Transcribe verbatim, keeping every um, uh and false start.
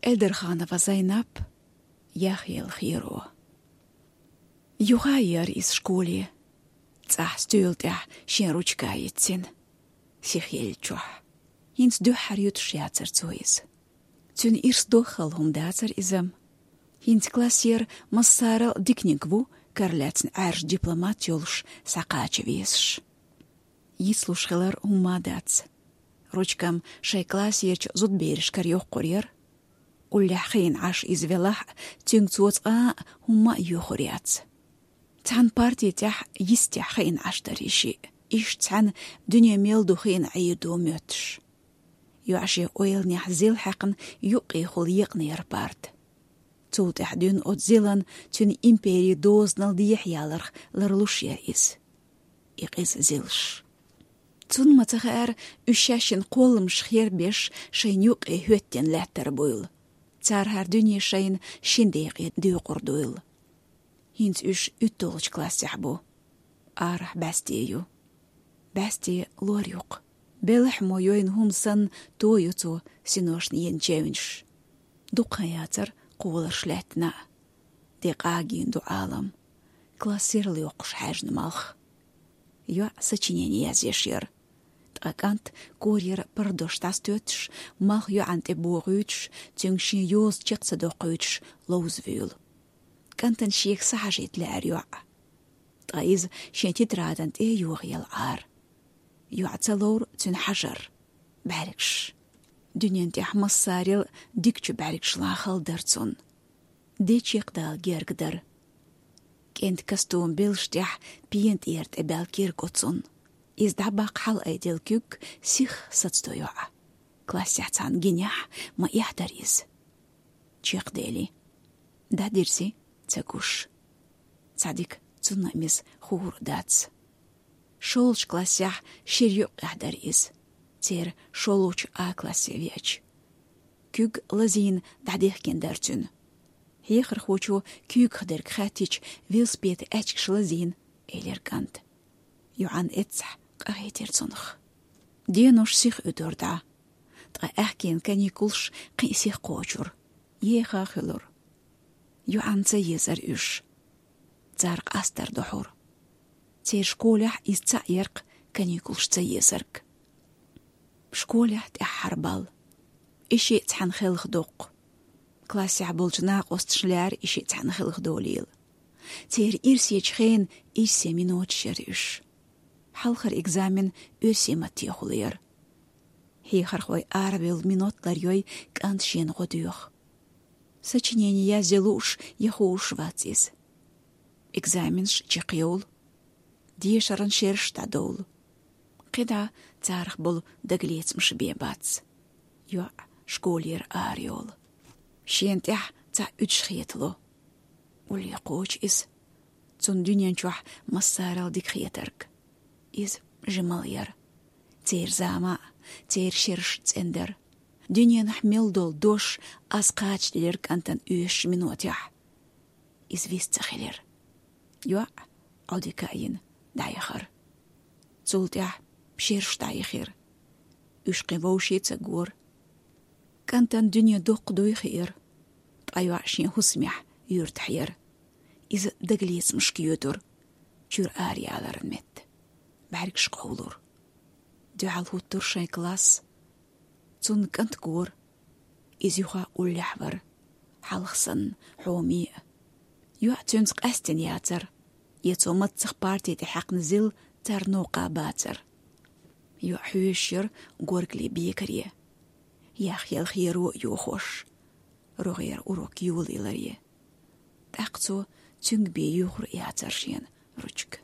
Эльдарханова Зайнап. Яхъял херо. Юха яр из школе. ЦӀахь стоьла тӀехь шен ручка йицина, сиха еллачохь. ХӀинца дуьххьара юьтуш яцара цо иза. Цуьнан ирс дохал хӀума дацара иза. ХӀинца классера массарал диканиг ву, кара лаьцна Ӏаьржа дипломат йолуш, схьакхача везаш. Йицлуш хилар хӀумма дац. Ручкам шайн классерчу зудберашкара йоккхур яра. Уллехь хиъна Ӏаш иза велахь а, цуьнга цо цкъа а хӀумма а йоьхур яц. Цхьана парти тӀехь йистехь хиъна Ӏаш дара и шиъ. Иштта цхьаьна дуьне мел ду хиъна Ӏийр ду моьттуш. ЙоӀ шен ойланехь зил хьаькхна юккъехула екъна яра парта. Цул тӀаьхьа дуьйна оцу зилан цуьнан импери дозанал дехьаяларх ларлуш яра иза. И къиза зилаш. Цунна ма ца хаьара, уьш шаьшшинна кхолламаш хербеш шайна юккъе хӀоьттина лаьттар буйла. Цара хӀара дуьне шайна шина декъе доькъур дуйла. ХӀинца уьш уьтталгӀачу классехь бу. Арахь бӀаьсте ю. БӀаьсте лор ю-кх. Белахь мо йойна хӀума санна, то ю цо синошна йина чевнаш. Дукха яцара кхоларш лаьттина а. Де къагийна ду Ӏалам. Классерал йоккхуш хьаьжна малх. ЙоӀ сочинени язъеш яра. Ткъа кӀант корьера пардош дӀасатоьттуш, малх йоӀана тӀе бохуьйтуш, цуьнга шен йоза чекх ца доккхуьйтуш, ловза вуьйла. КӀантана шега сахьажийта лаьара йоӀ. Ткъа иза шен тетрадана тӀе а йохаелла Ӏара. ЙоӀ ца ловра цуьнан хьажар. БӀаьргаш. Дуьнен тӀехь массарел дикачу бӀаьргашла хала дара цунна. Де чекхдала герга дара. КӀентан костюм белшаш тӀехь пена тӀера тӀе баьлла кирг оцунна. Иза дӀабаккха хьалаайделла куьг сиха сацадо йоӀа. Классехь цхьана гинехь ма эхь дара иза. Чекхдели. ДӀадирзи, ца гуш. Цхьа дика цунна а миса хуур а дац. ШолгӀачу классехь шира юккъехь дара иза. Церан шолгӀачу А классе веача. Куьг лазийна дӀадехкина дара цуьнан. Хьехархочо куьйгах дерг хаьттича, велосипедан аьчкаш лазийна, элира кӀанта. ЙоӀан эццахь къахетира цунах. Денош сиха уьдура дӀа. Ткъа аьхкенан каникулаш кхин а сиха кхочура. Еха хуьлура. ЙоӀанна ца езара уьш. Цара къастар дохьура. Церан школехь иза цхьаъ яра-кх каникулаш ца езарг. Школехь тӀаьххьара бал. И шиъ цхьаьна хелха доккху. Классехь болчу накъосташна лаьара и шиъ цхьаьна хелха долийла. Церан ирсечу хенан ирсе миноташ яра уьш. Хьалхара экзамен оьрсийн маттехула яра. Хьехархой аравевлла минот ларйой, кӀант шена гӀо доьху. Сочинени язъян лууш я хууш вац иза. Экзаменаш чекхйовлу. Дешаран шераш дӀадовлу. КхидӀа царах болу дагалецамаш бен бац. ЙоӀ школера арайолу. Шена тӀехь цхьаъ уьдуш хетало. Улле кхочу иза. Цунна дуьнен чохь массарал дика хетарг. Иза жимал яра. Церан зама а, церан шераш цӀена дара. Дуьненахь мел долу дош аз кхачаделира кӀантана оьшучу минотехь. Иза вист ца хилира. ЙоӀ, Ӏодика а йина, дӀаяхара. Цул тӀаьхьа шераш дӀаяхира. Уьш кхин вовшийн ца гора. КӀантана дуьне доккха дуй хиира. Ткъа йоӀ шен хӀусамехь юьртахь яра. Иза дагалецамашка йоьдура, чуьра араяларан метта. БӀаьргаш къовлура. Дуьхьал хӀуттура шайн класс. Цунна кӀант гора. Иза юха уллехь вара, хьалха санна, хьоме а. ЙоӀ цуьнца къаьстина яцара, я цо маццах парти тӀе хьаькхна зил царна новкъа бацара. ЙоӀ хьоьжуш яра горгали бекаре. Яхъял херо а йохош, рогӀера урок йолаяларе. ТӀаккха цо цуьнга бен юьхур а яцара шена ручка.